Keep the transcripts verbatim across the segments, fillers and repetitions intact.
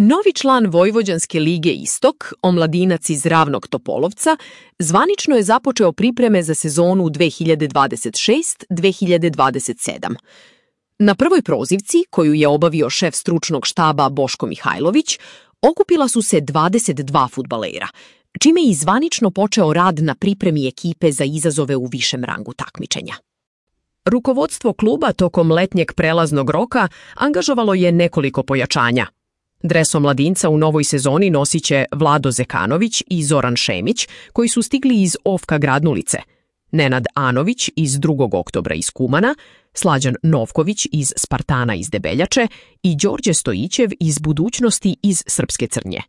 Novi član Vojvođanske lige Istok, omladinac iz Ravnog Topolovca, zvanično je započeo pripreme za sezonu dve hiljade dvadeset šest dve hiljade dvadeset sedam. Na prvoj prozivci, koju je obavio šef stručnog štaba Boško Mihajlović, okupila su se dvadeset dva fudbalera, čime je i zvanično počeo rad na pripremi ekipe za izazove u višem rangu takmičenja. Rukovodstvo kluba tokom letnjeg prelaznog roka angažovalo je nekoliko pojačanja. Dres omladinca u novoj sezoni nosit će Vlado Zekanović i Zoran Šemić, koji su stigli iz Ofka Gradnulice, Nenad Anović iz drugog oktobra iz Kumana, Slađan Novković iz Spartana iz Debeljače i Đorđe Stojićev iz Budućnosti iz Srpske Crnje.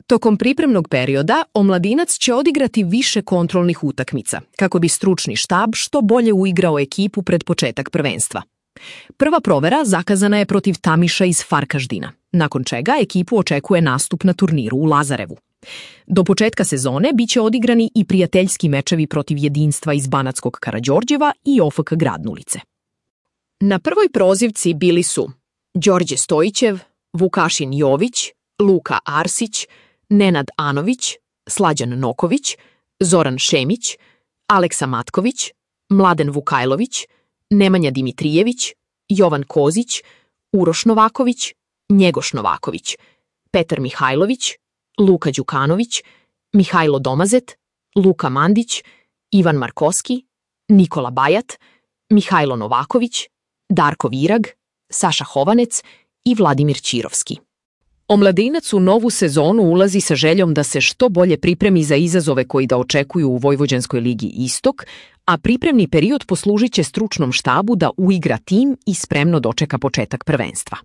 Tokom pripremnog perioda omladinac će odigrati više kontrolnih utakmica, kako bi stručni štab što bolje uigrao ekipu pred početak prvenstva. Prva provera zakazana je protiv Tamiša iz Farkaždina, nakon čega ekipu očekuje nastup na turniru u Lazarevu. Do početka sezone biće odigrani i prijateljski mečevi protiv Jedinstva iz Banatskog Karađorđeva i O F K Gradnulice. Na prvoj prozivci bili su Đorđe Stojićev, Vukašin Jović, Luka Arsić, Nenad Anović, Slađan Noković, Zoran Šemić, Aleksa Matković, Mladen Vukajlović, Nemanja Dimitrijević, Jovan Kozić, Uroš Novaković, Njegoš Novaković, Petar Mihajlović, Luka Đukanović, Mihajlo Domazet, Luka Mandić, Ivan Markoski, Nikola Bajat, Mihajlo Novaković, Darko Virag, Saša Hovanec i Vladimir Ćirovski. Omladinac u novu sezonu ulazi sa željom da se što bolje pripremi za izazove koji da očekuju u Vojvođanskoj ligi Istok, a pripremni period poslužit će stručnom štabu da uigra tim i spremno dočeka početak prvenstva.